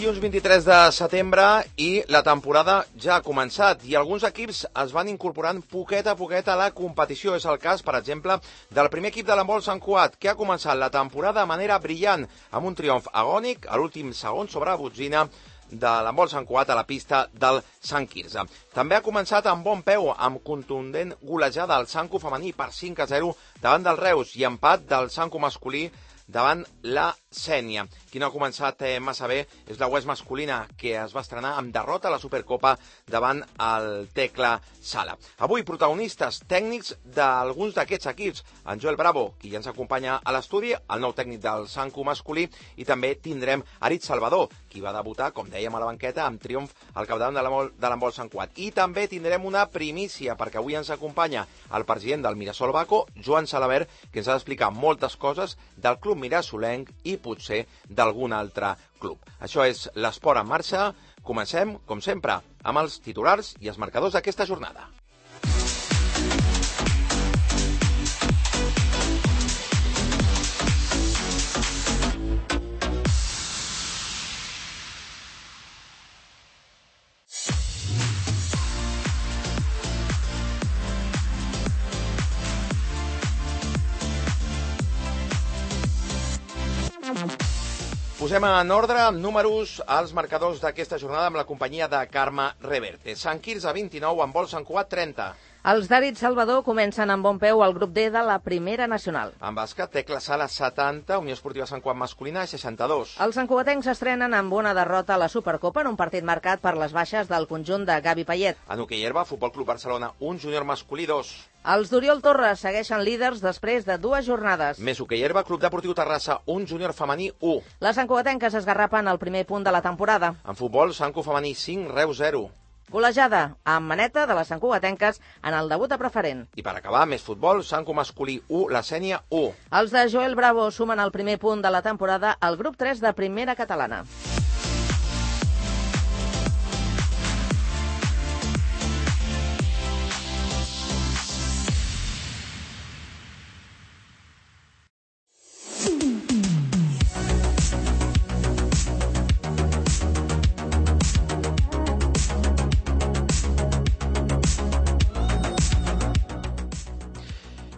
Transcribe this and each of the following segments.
dilluns 23 de setembre i la temporada ja ha començat i alguns equips es van incorporant poquet a poquet a la competició. És el cas, per exemple, del primer equip de l'handbol Sant Cugat, que ha començat la temporada de manera brillant, amb un triomf agònic a l'últim segon sobre la botzina de l'handbol Sant Cugat a la pista del Sant Quirze. També ha començat amb bon peu, amb contundent golejada al Sanco femení per 5-0 davant del Reus i empat del Sanco masculí davant la Sénia. Qui no ha començat massa bé és la UES masculina, que es va estrenar amb derrota a la Supercopa davant el Tecla Sala. Avui, protagonistes tècnics d'alguns d'aquests equips. En Joel Bravo, qui ja ens acompanya a l'estudi, el nou tècnic del Sanco masculí, i també tindrem Aritz Salvador, qui va debutar, com dèiem, a la banqueta, amb triomf al capdavant de l'handbol Sant Cugat. I també tindrem una primícia, perquè avui ens acompanya el president del Mirasol Baco, Joan Salabert, que ens ha d'explicar moltes coses del club mirasolenc i potser d'algun altre club. Això és l'Esport en marxa. Comencem, com sempre, amb els titulars i els marcadors d'aquesta jornada. Posem en ordre amb números als marcadors d'aquesta jornada amb la companyia de Carme Reverte. Sant Quirze 29, handbol Sant Cugat 30. Els d'Aritz Salvador comencen amb bon peu al grup D de la Primera Nacional. En bàsquet, Tecla Sala 70, Unió Esportiva Sant Cugat masculina 62. Els santcugatencs s'estrenen amb una derrota a la Supercopa en un partit marcat per les baixes del conjunt de Gavi Payet. En hoquei herba, Futbol Club Barcelona 1, Júnior masculí 2. Els d'Oriol Torres segueixen líders després de 2 jornades. Més hoquei herba, Club Deportiu Terrassa 1, Júnior femení 1. Les santcugatenques esgarrapen el primer punt de la temporada. En futbol, Sanco femení 5, Reus 0. Golejada amb maneta de les santcugatenques en el debut a preferent. I per acabar, més futbol, Sanco masculí 1, la Sénia 1. Els de Joel Bravo sumen el primer punt de la temporada al grup 3 de Primera Catalana.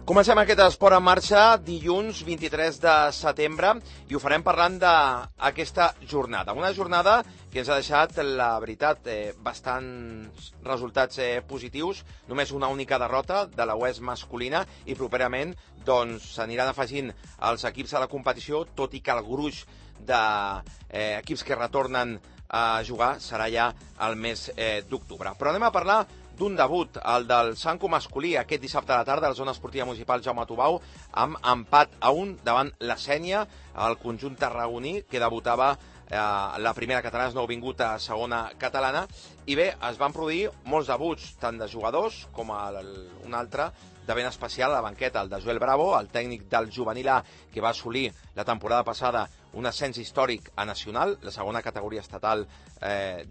Comencem aquest esport en marxa dilluns 23 de setembre i ho farem parlant d'aquesta jornada. Una jornada que ens ha deixat, la veritat, bastants resultats positius, només una única derrota de la UES masculina i properament s'aniran afegint els equips a la competició, tot i que el gruix d'equips que retornen a jugar serà ja el mes d'octubre. Però anem a parlar d'un debut, el del Sanco masculí, aquest dissabte a la tarda a la zona esportiva municipal Jaume Tubau, amb empat a 1 davant la Sénia, el conjunt tarragoní, que debutava la primera catalana, és nouvingut a segona catalana, i bé, es van produir molts debuts, tant de jugadors com un altre de ben especial a la banqueta, el de Joel Bravo, el tècnic del juvenil A, que va assolir la temporada passada un ascens històric a nacional, la segona categoria estatal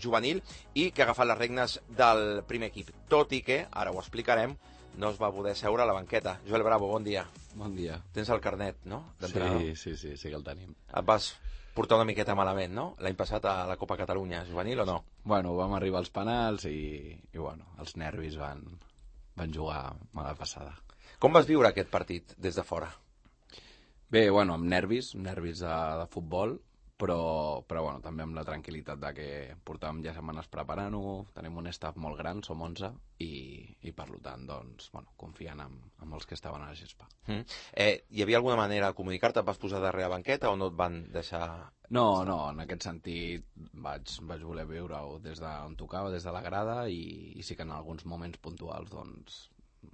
juvenil, i que ha agafat les regnes del primer equip. Tot i que, ara ho explicarem, no es va poder seure a la banqueta. Joel Bravo, bon dia. Bon dia. Tens el carnet, no? Sí que el tenim. Et vas portar una miqueta malament, no? L'any passat a la Copa Catalunya juvenil o no? Bueno, vam arribar als penals i bueno, els nervis van jugar mala passada. Com vas viure aquest partit des de fora? Bé, bueno, amb nervis de futbol, però bueno, també amb la tranquil·litat de que portàvem ja setmanes preparant-ho, tenim un staff molt gran, som 11, i per tant, doncs, bueno, confiant en els que estaven a la gespa. Hi havia alguna manera de comunicar-te? Et vas posar darrere la banqueta o no et van deixar...? No, en aquest sentit vaig voler viure-ho des d'on tocava, des de la grada, i sí que en alguns moments puntuals, doncs,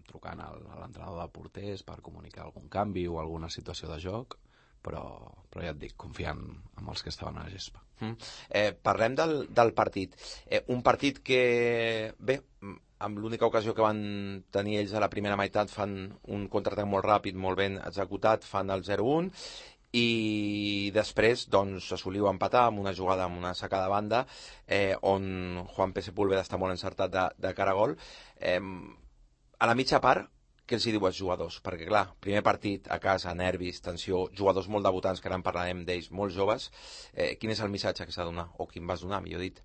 trucant a l'entrenador de porters per comunicar algun canvi o alguna situació de joc, però ja et dic, confiant en els que estaven a la gespa. Parlem del partit. Un partit que, bé, amb l'única ocasió que van tenir ells a la primera meitat fan un contraatac molt ràpid, molt ben executat, fan el 0-1, i després doncs assoliu empatar amb una jugada, amb una sacada de banda, on Juan P. Sepúlveda està molt encertat de cara a gol. A la mitja part, què els hi diu als jugadors? Perquè, clar, primer partit a casa, nervis, tensió, jugadors molt debutants, que ara en parlarem d'ells, molt joves. Quin és el missatge que s'ha de donar? O quin vas donar, millor dit?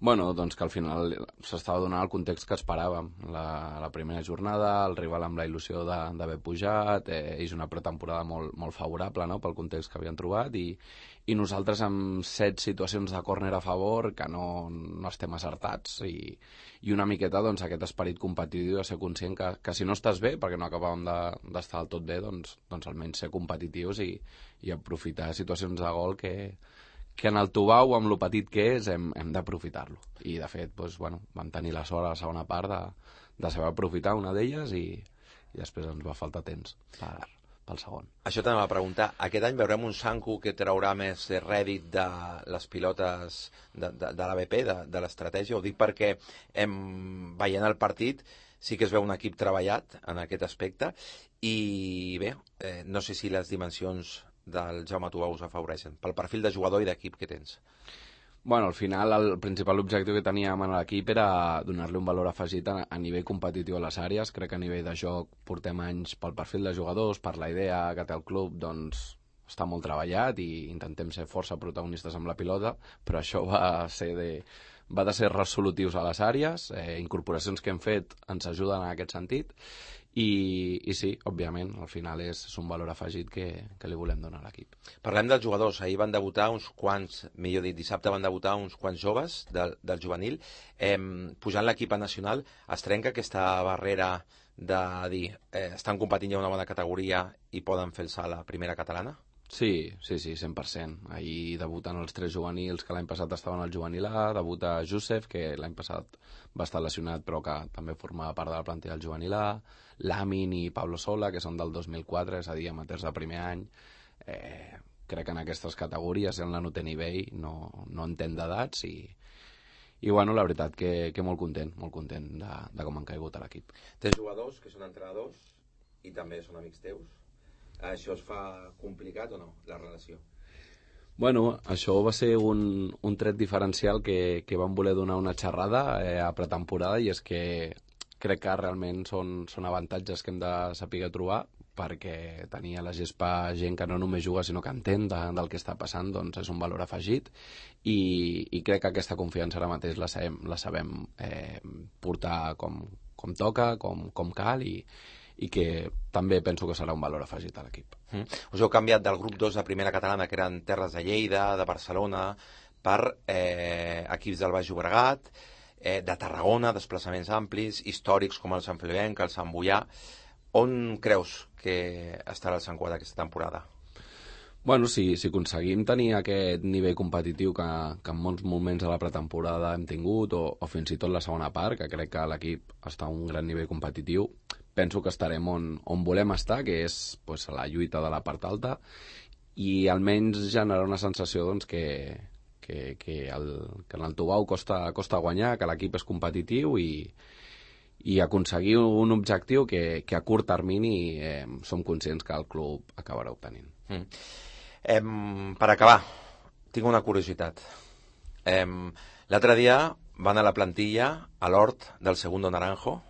Bueno, doncs que al final s'estava donant el context que esperàvem. La primera jornada, el rival amb la il·lusió d'haver pujat, és una pretemporada molt favorable, no?, pel context que havien trobat, i nosaltres amb 7 situacions de córner a favor que no estem acertats, i una miqueta doncs, aquest esperit competitiu de ser conscient que si no estàs bé, perquè no acabàvem d'estar del tot bé, doncs almenys ser competitius i aprofitar situacions de gol que en el Tubau, amb lo petit que és, hem d'aprofitar-lo. I, de fet, doncs, bueno, vam tenir la sort a la segona part de saber aprofitar una d'elles i després ens va faltar temps pel segon. Això t'anava a preguntar. Aquest any veurem un Sanku que traurà més rèdit de les pilotes de l'ABP, de l'estratègia. Ho dic perquè veient el partit sí que es veu un equip treballat en aquest aspecte i bé, no sé si les dimensions del Jaume Tubau us afavoreixen, pel perfil de jugador i d'equip que tens. Bueno, al final el principal objectiu que teníem en l'equip era donar-li un valor afegit a nivell competitiu a les àrees. Crec que a nivell de joc portem anys pel perfil de jugadors, per la idea que té el club, doncs està molt treballat i intentem ser força protagonistes amb la pilota, però això va de ser resolutius a les àrees, incorporacions que hem fet ens ajuden en aquest sentit, i sí, òbviament, al final és un valor afegit que li volem donar a l'equip. Parlem dels jugadors. Ahir van debutar uns quants, millor dit, dissabte van debutar uns quants joves del juvenil. Pujant l'equip nacional, es trenca aquesta barrera de dir estan competint ja una bona categoria i poden fer el salt a la primera catalana? Sí, 100%. Ahir debuten els 3 juvenils que l'any passat estaven al juvenil A, debuta Josef, que l'any passat va estar lesionat però que també formava part de la plantilla del juvenil A, Lamin i Pablo Sola, que són del 2004, és a dir, amateurs de primer any. Crec que en aquestes categories ell no té nivell, no entén d'edats i bueno, la veritat que molt content de com han caigut a l'equip. Tens jugadors que són entrenadors i també són amics teus. Això es fa complicat o no, la relació? Bueno, això va ser un tret diferencial que vam voler donar una xerrada a pretemporada, i és que crec que realment són avantatges que hem de saber trobar, perquè tenir a la gespa gent que no només juga sinó que entén del que està passant, doncs és un valor afegit, i crec que aquesta confiança ara mateix la sabem portar com toca, com cal, i que també penso que serà un valor afegit a l'equip. Us heu canviat del grup 2 de primera catalana, que eren Terres de Lleida, de Barcelona, per equips del Baix Llobregat, de Tarragona, desplaçaments amplis, històrics com el Sant Feliuenc, el Sant Boià. On creus que estarà el Sant Cugat aquesta temporada? Bueno, si aconseguim tenir aquest nivell competitiu que en molts moments de la pretemporada hem tingut, o fins i tot la segona part, que crec que l'equip està a un gran nivell competitiu, penso que estarem on volem estar, que és pues, la lluita de la part alta, i almenys generar una sensació doncs, que en el Tubau costa guanyar, que l'equip és competitiu i aconseguir un objectiu que a curt termini som conscients que el club acabarà obtenint. Per acabar, tinc una curiositat. L'altre dia van a la plantilla, a l'hort del Segundo Naranjo,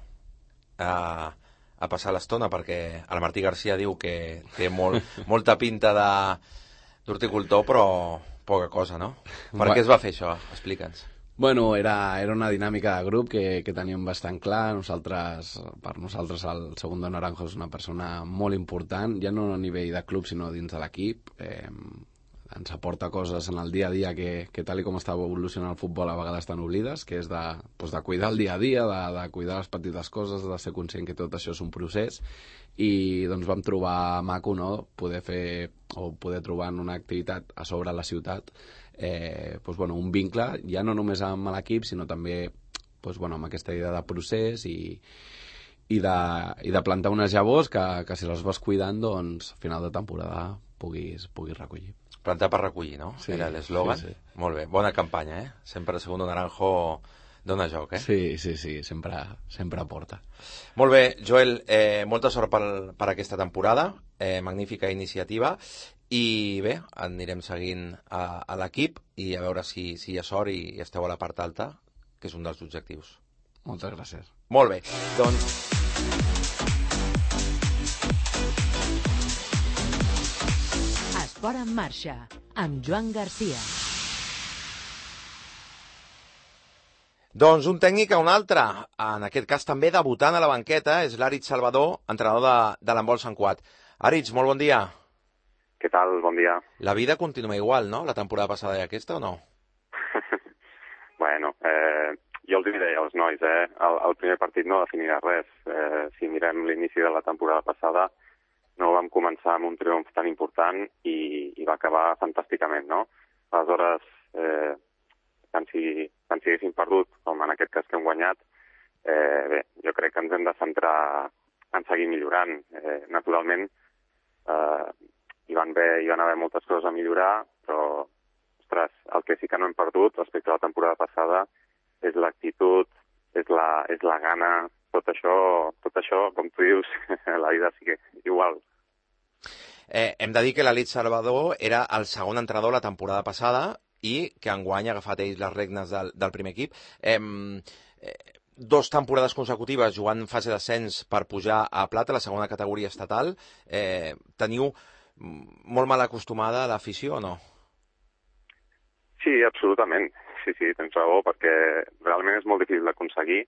a passar l'estona, perquè el Martí Garcia diu que té molta pinta d'horticultor, però poca cosa, no? Per què es va fer això? Explica'ns. Bueno, era una dinàmica de grup que teníem bastant clar. Per nosaltres el Segundo Naranjo és una persona molt important, ja no a nivell de club sinó dins de l'equip. Ens aporta coses en el dia a dia que tal com està evolucionant el futbol a vegades tan oblides, que és de cuidar el dia a dia, de cuidar les petites coses, de ser conscient que tot això és un procés, i doncs vam trobar maco, no?, poder trobar en una activitat a sobre la ciutat un vincle, ja no només amb l'equip, sinó també amb aquesta idea de procés i de plantar unes llavors que si les vas cuidant, doncs a final de temporada puguis recollir. Plantar per recollir, no? Sí, era l'eslògan. Sí. Molt bé, bona campanya, Sempre el Segundo Naranjo dona joc, Sí, sempre aporta. Molt bé, Joel, molta sort per aquesta temporada, magnífica iniciativa, i bé, anirem seguint a l'equip i a veure si hi ha sort i esteu a la part alta, que és un dels objectius. Moltes gràcies. Molt bé, doncs L'esport en marxa, amb Joan Garcia. Doncs un tècnic a un altre, en aquest cas també debutant a la banqueta, és l'Aritz Salvador, entrenador de l'handbol Sant Cugat. Aritz, molt bon dia. Què tal? Bon dia. La vida continua igual, no? La temporada passada i aquesta, o no? Bueno, jo els diré als nois, el primer partit no definirà res. Si mirem l'inici de la temporada passada, no vam començar amb un triomf tan important i va acabar fantàsticament, no? Aleshores, tant si haguéssim perdut, com en aquest cas que hem guanyat, bé, jo crec que ens hem de centrar en seguir millorant. Naturalment, hi van haver moltes coses a millorar, però, ostres, el que sí que no hem perdut respecte a la temporada passada és l'actitud, és la gana, tot això, com tu dius, la vida sí que igual. Hem de dir que l'Aritz Salvador era el segon entrenador la temporada passada i que enguany ha agafat ells les regnes del primer equip. 2 temporades consecutives jugant fase d'ascens per pujar a plata, la segona categoria estatal. Teniu molt mal acostumada a l'afició o no? Sí, absolutament. Sí, tens raó, perquè realment és molt difícil d'aconseguir.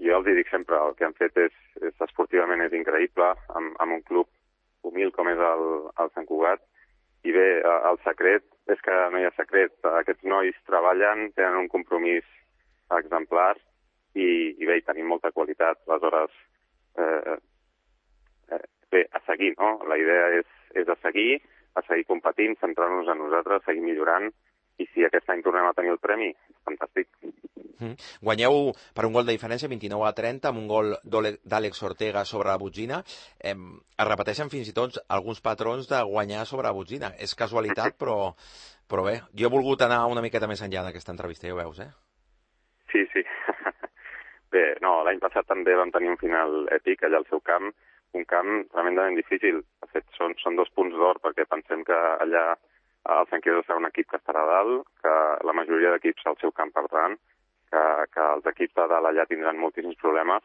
Jo els dic sempre, el que han fet és esportivament és increïble, amb un club humil com és el Sant Cugat. I bé, el secret és que no hi ha secret. Aquests nois treballen, tenen un compromís exemplar i bé, hi tenim molta qualitat. Aleshores, bé, a seguir, no? La idea és a seguir competint, centrar-nos en nosaltres, seguir millorant, i si aquest any tornem a tenir el premi, fantàstic. Guanyeu per un gol de diferència, 29-30, amb un gol d'Àlex Ortega sobre la Botzina. Es repeteixen fins i tot alguns patrons de guanyar sobre la Botzina. És casualitat, però bé, jo he volgut anar una miqueta més enllà d'aquesta entrevista, ja ho veus, Sí. Bé, no, l'any passat també vam tenir un final èpic allà al seu camp, un camp tremendament difícil. De fet, són 2 punts d'or, perquè pensem que allà el Sant Quirze serà un equip que estarà a dalt, que la majoria d'equips al seu camp perdran, que els equips de dalt allà tindran moltíssims problemes.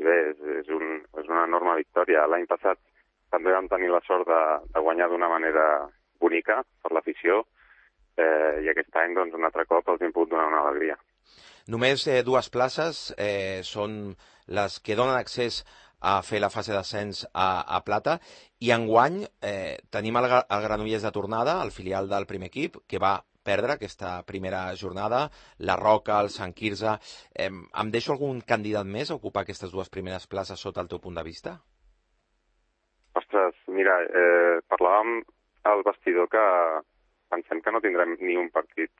I bé, és una enorme victòria. L'any passat també vam tenir la sort de guanyar d'una manera bonica per l'afició, i aquest any, doncs, un altre cop els hem pogut donar una alegria. Només 2 places són les que donen accés a fer la fase d'ascens a plata, i enguany tenim el Granollers de tornada, el filial del primer equip, que va perdre aquesta primera jornada, la Roca, el Sant Quirze. Em deixo algun candidat més a ocupar aquestes 2 primeres places sota el teu punt de vista? Ostres, mira, parlàvem al vestidor que pensem que no tindrem ni un partit,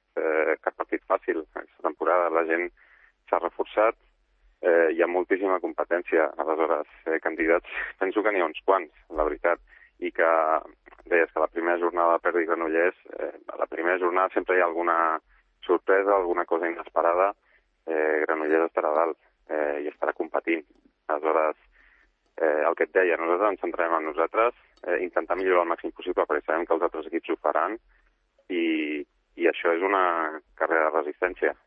cap partit fàcil. Aquesta temporada la gent s'ha reforçat, hi ha moltíssima competència. Aleshores, candidats, penso que n'hi ha uns quants, la veritat. I que, deies que la primera jornada perdi Granollers, a la primera jornada sempre hi ha alguna sorpresa, alguna cosa inesperada. Granollers estarà dalt i estarà competint. Aleshores, el que et deia, nosaltres ens centrarem en nosaltres, intentar millorar el màxim possible, perquè sabem que els altres equips ho faran, i això és una carrera de resistència.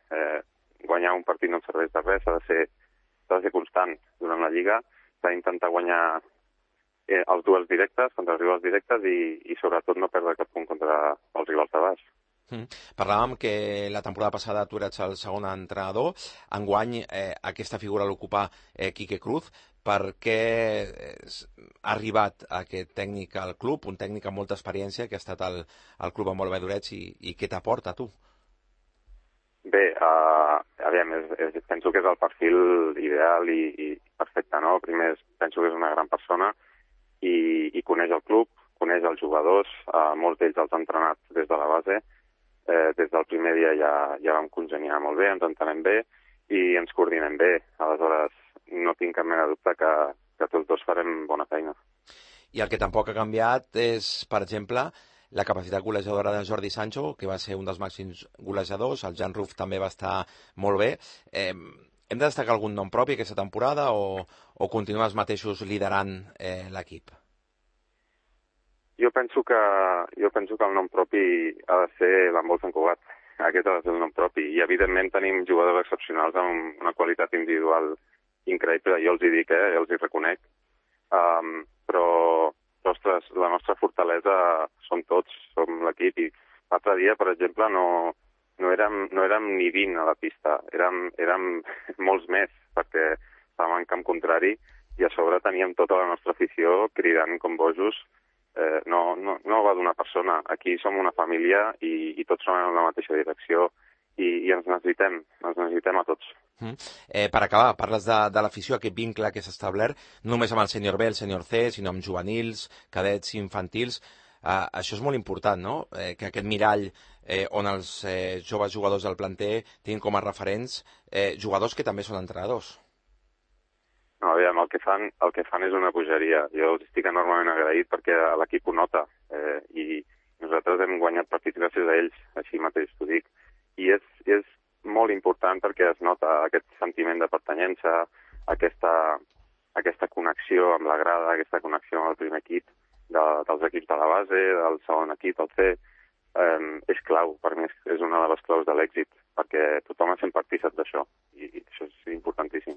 Guanyar un partit no ens serveix de res, s'ha de ser constant durant la Lliga, s'ha d'intentar guanyar els duels directes, contra els rivals directes, i sobretot no perdre cap punt contra els rivals de baix. Parlàvem que la temporada passada tu eres el segon entrenador, enguany aquesta figura l'ocupa Quique Cruz. Per què ha arribat aquest tècnic al club, un tècnic amb molta experiència que ha estat al club amb molt d'Orets, i què t'aporta a tu? Bé, penso que és el perfil ideal i perfecte, no? Primer, penso que és una gran persona i coneix el club, coneix els jugadors, molts d'ells els ha entrenat des de la base. Des del primer dia ja vam congeniar molt bé, ens entenem bé i ens coordinem bé. Aleshores, no tinc cap mena de dubte que tots dos farem bona feina. I el que tampoc ha canviat és, per exemple, la capacitat golejadora de Jordi Sancho, que va ser un dels màxims golejadors. El Jan Ruf també va estar molt bé. Hem de destacar algun nom propi aquesta temporada o continuem els mateixos liderant l'equip? Jo penso que el nom propi ha de ser l'handbol Sant Cugat. Aquest ha de ser el nom propi. I, evidentment, tenim jugadors excepcionals amb una qualitat individual increïble. Jo els hi dic, els hi reconec. Però la nostra fortalesa som tots, som l'equip, i l'altre dia, per exemple, no érem ni 20 a la pista, érem molts més, perquè estàvem en camp contrari i a sobre teníem tota la nostra afició cridant com bojos. No va d'una persona, aquí som una família i tots som en la mateixa direcció i ens necessitem a tots. Per acabar, parles de l'afició, aquest vincle que s'ha establert, no només amb el sènior B, el sènior C, sinó amb juvenils, cadets, infantils. Això és molt important, no? Que aquest mirall on els joves jugadors del planter tinguin com a referents jugadors que també són entrenadors. No, aviam, el que fan és una bogeria. Jo els estic enormement agraït perquè l'equip ho nota i nosaltres hem guanyat partits gràcies a ells, així mateix t'ho dic. I és molt important perquè es nota aquest sentiment de pertanyença, aquesta connexió amb la grada, aquesta connexió amb el primer equip, dels equips de la base, del segon equip, el C. És clau, per mi és una de les claus de l'èxit, perquè tothom es sent partícip d'això i això és importantíssim.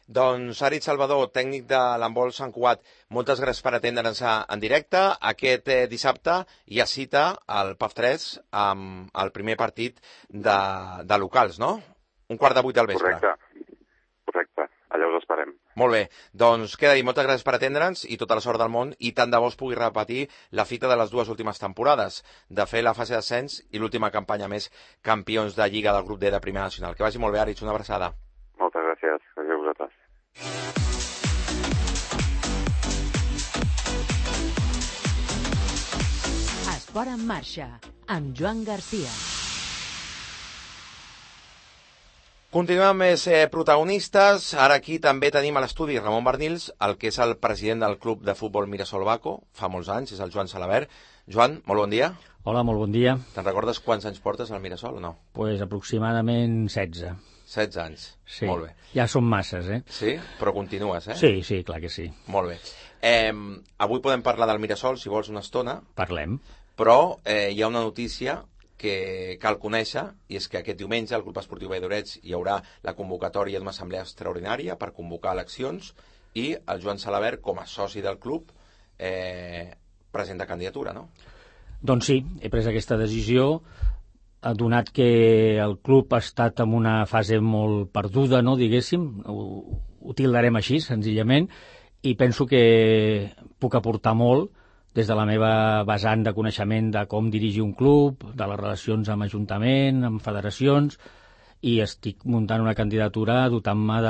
Doncs Aritz Salvador, tècnic de l'handbol Sant Cugat, moltes gràcies per atendre'ns en directe. Aquest dissabte hi ha cita al PAF3 amb el primer partit de locals, no? 7:15 del vespre. Correcte. Allà us esperem. Molt bé, doncs queda dit, moltes gràcies per atendre'ns i tota la sort del món, i tant de bo es pugui repetir la fita de les dues últimes temporades, de fer la fase d'ascens i l'última campanya més campions de Lliga del grup D de Primera Nacional. Que vagi molt bé, Aritz, una abraçada. Moltes gràcies, a vosaltres. Esport en marxa, amb Joan Garcia. Continuem amb més protagonistes. Ara aquí també tenim a l'estudi Ramon Barnils, el que és el president del club de futbol Mirasol Baco, fa molts anys, és el Joan Salabert. Joan, molt bon dia. Hola, molt bon dia. Te'n recordes quants anys portes al Mirasol o no? Pues aproximadament 16. 16 anys, sí. Molt bé. Ja són masses, Sí? Però continues, Sí, clar que sí. Molt bé. Avui podem parlar del Mirasol, si vols, una estona. Parlem. Però hi ha una notícia que cal conèixer, i és que aquest diumenge al Club Esportiu Valldoreix hi haurà la convocatòria d'una assemblea extraordinària per convocar eleccions i el Joan Salabert, com a soci del club, presenta candidatura, no? Doncs sí, he pres aquesta decisió, donat que el club ha estat en una fase molt perduda, no, diguéssim, ho tildarem així, senzillament, i penso que puc aportar molt des de la meva vessant de coneixement de com dirigir un club, de les relacions amb ajuntament, amb federacions, i estic muntant una candidatura dotant-me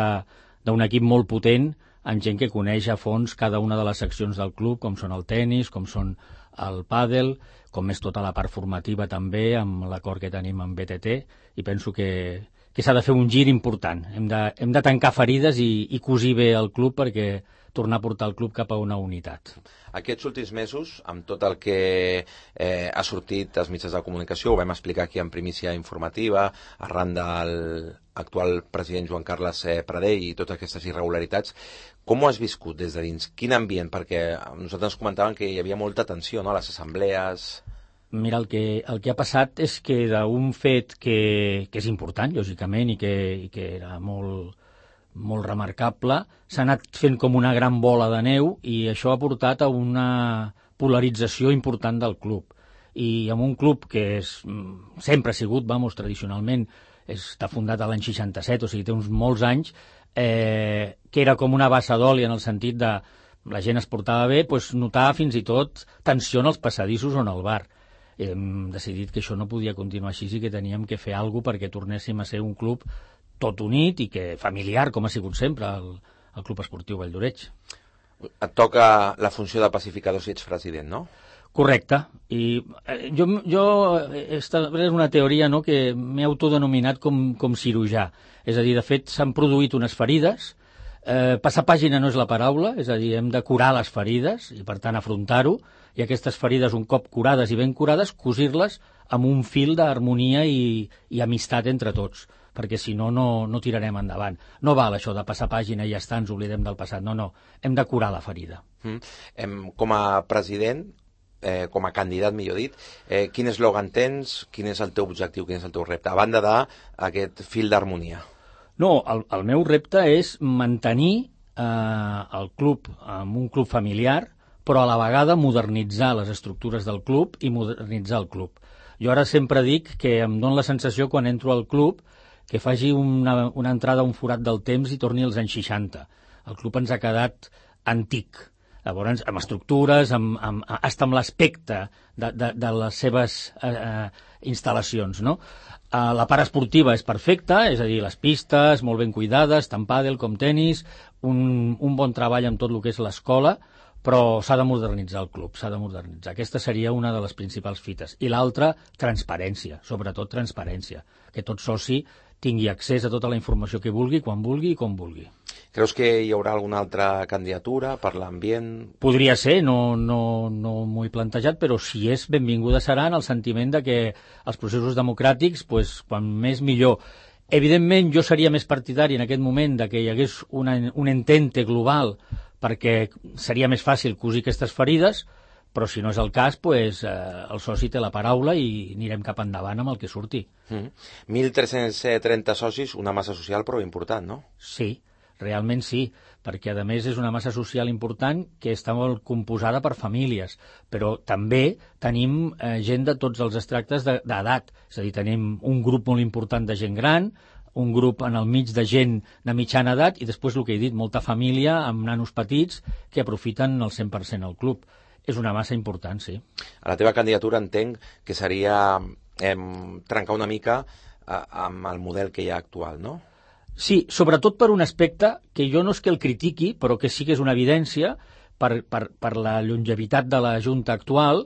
d'un equip molt potent, amb gent que coneix a fons cada una de les seccions del club, com són el tennis, com són el pàdel, com és tota la part formativa també, amb l'acord que tenim amb BTT, i penso que s'ha de fer un gir important. Hem de tancar ferides i cosir bé el club perquè tornar a portar el club cap a una unitat. Aquests últims mesos, amb tot el que ha sortit als mitjans de comunicació, ho vam explicar aquí en primícia informativa, arran de l'actual president Joan Carles Pradell i totes aquestes irregularitats, com ho has viscut des de dins? Quin ambient? Perquè nosaltres ens comentaven que hi havia molta tensió, no?, a les assemblees. Mira, el que ha passat és que d'un fet que és important, lògicament, i que era molt remarcable, s'ha anat fent com una gran bola de neu i això ha portat a una polarització important del club. I amb un club que sempre ha sigut, tradicionalment, està fundat a l'any 67, o sigui, té uns molts anys, que era com una bassa d'oli en el sentit de la gent es portava bé, doncs notar fins i tot tensió en els passadissos o en el bar. Hem decidit que això no podia continuar així i que teníem que fer alguna cosa perquè tornéssim a ser un club tot unit i que familiar, com ha sigut sempre el Club Esportiu Valldoreix. Et toca la funció de pacificador si ets president, no? Correcte. I jo és una teoria, no?, que m'he autodenominat com cirurgià. És a dir, de fet, s'han produït unes ferides. Passar pàgina no és la paraula, és a dir, hem de curar les ferides i, per tant, afrontar-ho. I aquestes ferides, un cop curades i ben curades, cosir-les amb un fil d'harmonia i amistat entre tots, perquè si no, no tirarem endavant. No val això de passar pàgina i ja està, ens oblidem del passat. No, hem de curar la ferida. Com a president, com a candidat, millor dit, quin eslògan tens, quin és el teu objectiu, quin és el teu repte, a banda d'aquest fil d'harmonia? No, el meu repte és mantenir el club amb un club familiar, però a la vegada modernitzar les estructures del club i modernitzar el club. Jo ara sempre dic que em dóna la sensació quan entro al club que faci una entrada a un forat del temps i torni als anys 60. El club ens ha quedat antic. Llavors, amb estructures, hasta amb l'aspecte de les seves instal·lacions, no? La part esportiva és perfecta, és a dir, les pistes molt ben cuidades, tant pàdel com tenis, un bon treball amb tot el que és l'escola, però s'ha de modernitzar el club, s'ha de modernitzar. Aquesta seria una de les principals fites. I l'altra, transparència, sobretot transparència, que tot soci tingui accés a tota la informació que vulgui, quan vulgui i com vulgui. Creus que hi haurà alguna altra candidatura per l'ambient? Podria ser, no m'ho he plantejat, però si és benvinguda serà en el sentiment de que els processos democràtics, quan més millor. Evidentment, jo seria més partidari en aquest moment de que hi hagués un entente global perquè seria més fàcil cosir aquestes ferides, però si no és el cas, el soci té la paraula i anirem cap endavant amb el que surti. 1.330 socis, una massa social però important, no? Sí, realment sí, perquè a més és una massa social important que està molt composada per famílies, però també tenim gent de tots els extractes d'edat, és a dir, tenim un grup molt important de gent gran, un grup en el mig de gent de mitjana edat i després el que he dit, molta família amb nanos petits que aprofiten el 100% el club. És una massa important, sí. A la teva candidatura entenc que seria trencar una mica amb el model que hi ha actual, no? Sí, sobretot per un aspecte que jo no és que el critiqui, però que sí que és una evidència per la longevitat de la Junta actual,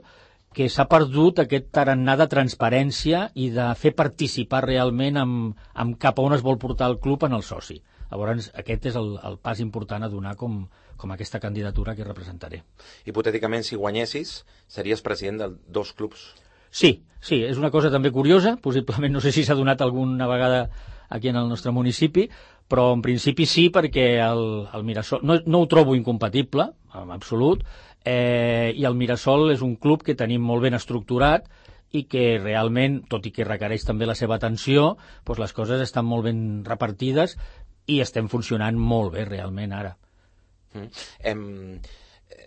que s'ha perdut aquest tarannà de transparència i de fer participar realment amb cap a on es vol portar el club en el soci. Llavors, aquest és el pas important a donar com aquesta candidatura que representaré. Hipotèticament, si guanyessis, series president de 2 clubs. Sí, és una cosa també curiosa, possiblement no sé si s'ha donat alguna vegada aquí en el nostre municipi, però en principi sí, perquè el Mirasol no ho trobo incompatible, en absolut, i el Mirasol és un club que tenim molt ben estructurat i que realment, tot i que requereix també la seva atenció, les coses estan molt ben repartides i estem funcionant molt bé realment ara.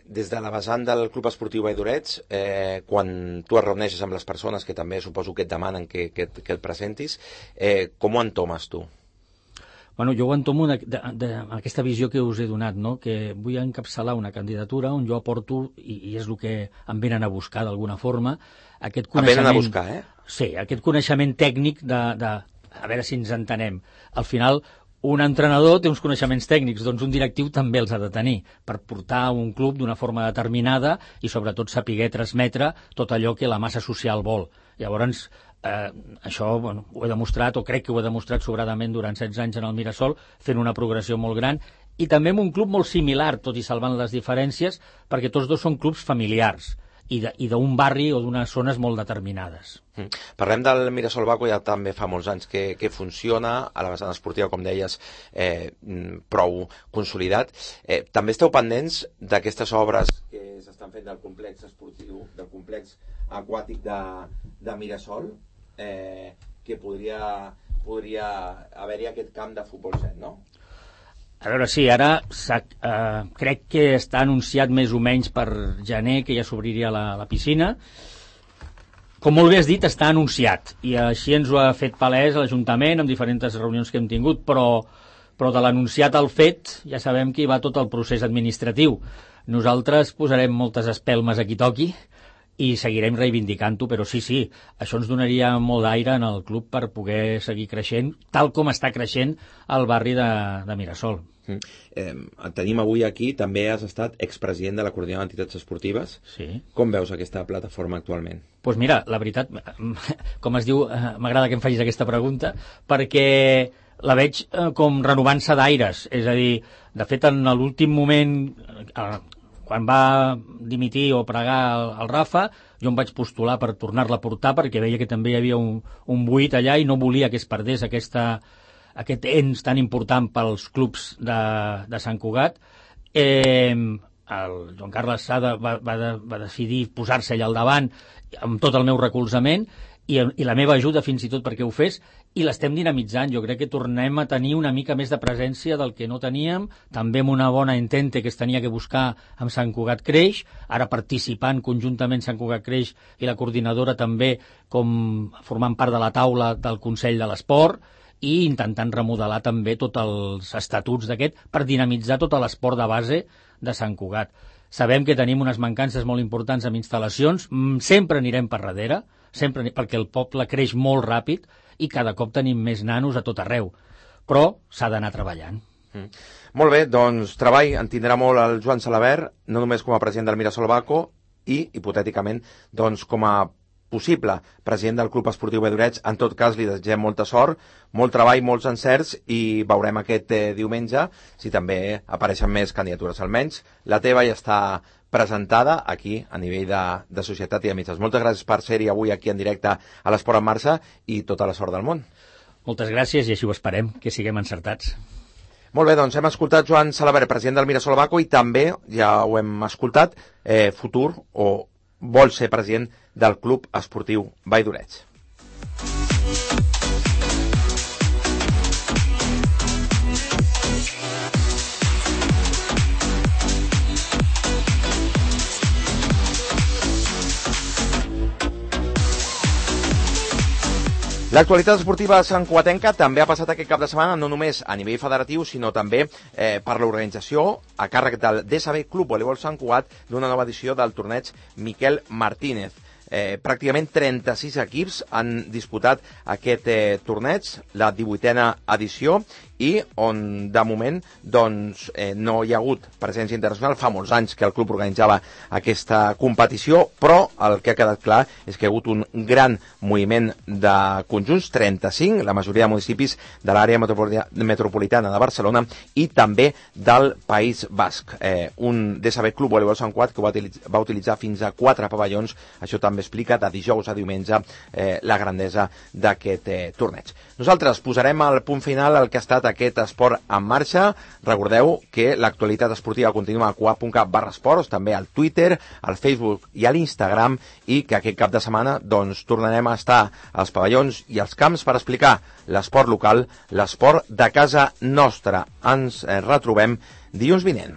Des de la vessant del Club Esportiu Valldoret, quan tu et reuneixes amb les persones que també suposo que et demanen que et presentis, com ho entomes tu? Bueno, jo ho entomo aquesta visió que us he donat, no? Que vull encapçalar una candidatura on jo aporto, i és el que em venen a buscar d'alguna forma, aquest coneixement... Em venen a buscar, Sí, aquest coneixement tècnic a veure si ens entenem. Al final, un entrenador té uns coneixements tècnics, doncs un directiu també els ha de tenir per portar un club d'una forma determinada i sobretot saber transmetre tot allò que la massa social vol. Llavors, això ho he demostrat, o crec que ho he demostrat sobradament durant 16 anys en el Mirasol, fent una progressió molt gran, i també en un club molt similar, tot i salvant les diferències, perquè tots dos són clubs familiars i d'un barri o d'unes zones molt determinades. Parlem del Mirasol Baco, ja també fa molts anys que funciona, a la vessant esportiva, com deies, prou consolidat. També esteu pendents d'aquestes obres que s'estan fent del complex esportiu, del complex aquàtic de Mirasol, que podria haver-hi aquest camp de futbol 7, no? A veure, sí, ara crec que està anunciat més o menys per gener que ja s'obriria la piscina. Com molt bé has dit, està anunciat, i així ens ho ha fet palès l'Ajuntament amb diferents reunions que hem tingut, però de l'anunciat al fet ja sabem que hi va tot el procés administratiu. Nosaltres posarem moltes espelmes a qui toqui i seguirem reivindicant-ho, però sí, això ens donaria molt d'aire en el club per poder seguir creixent, tal com està creixent el barri de Mirasol. Tenim avui aquí, també has estat expresident de la Coordinadora d'Entitats Esportives. Sí. Com veus aquesta plataforma actualment? Doncs mira, la veritat, com es diu, m'agrada que em facis aquesta pregunta, perquè la veig com renovant-se d'aires, és a dir, de fet, en l'últim moment... Quan va dimitir o pregar el Rafa, jo em vaig postular per tornar-la a portar perquè veia que també hi havia un buit allà i no volia que es perdés aquest ens tan important pels clubs de Sant Cugat. El Joan Carles Sada va decidir posar-se allà al davant amb tot el meu recolzament i la meva ajuda fins i tot perquè ho fes, i l'estem dinamitzant. Jo crec que tornem a tenir una mica més de presència del que no teníem, també amb una bona entente que es tenia que buscar amb Sant Cugat Creix, ara participant conjuntament Sant Cugat Creix i la coordinadora també com formant part de la taula del Consell de l'Esport i intentant remodelar també tots els estatuts d'aquest per dinamitzar tot l'esport de base de Sant Cugat. Sabem que tenim unes mancances molt importants amb instal·lacions, sempre anirem per darrere, sempre, perquè el poble creix molt ràpid i cada cop tenim més nanos a tot arreu, però s'ha d'anar treballant. Molt bé, doncs treball en tindrà molt el Joan Salabert, no només com a president del Mirasol Baco i, hipotèticament, doncs com a possible president del Club Esportiu Valldoreix. En tot cas, li desitgem molta sort, molt treball, molts encerts i veurem aquest diumenge si també apareixen més candidatures. Almenys la teva ja està presentada aquí a nivell de societat i de mitjans. Moltes gràcies per ser-hi avui aquí en directe a l'Esport en Marxa i tota la sort del món. Moltes gràcies i així ho esperem, que siguem encertats. Molt bé, doncs hem escoltat Joan Salabert, president del Mirasol Baco, i també, ja ho hem escoltat, futur o vol ser president del Club Esportiu Valldoreix. L'actualitat esportiva santcugatenca també ha passat aquest cap de setmana no només a nivell federatiu, sinó també per l'organització a càrrec del DSB Club Voleibol Sant Cugat d'una nova edició del torneig Miquel Martínez. Pràcticament 36 equips han disputat aquest torneig, la 18a edició, i on de moment doncs, no hi ha hagut presència internacional. Fa molts anys que el club organitzava aquesta competició, però el que ha quedat clar és que hi ha hagut un gran moviment de conjunts, 35, la majoria de municipis de l'àrea metropolitana de Barcelona i també del País Basc. Un DSB Club Voleibol Sant Cugat que va utilitzar fins a 4 pavellons. Això també explica de dijous a diumenge la grandesa d'aquest torneig. Nosaltres posarem el punt final al que ha estat aquest esport en marxa. Recordeu que l'actualitat esportiva continua a cugat.cat/esports, també al Twitter, al Facebook i a l'Instagram, i que aquest cap de setmana doncs, tornarem a estar als pavellons i als camps per explicar l'esport local, l'esport de casa nostra. Ens retrobem dilluns vinent.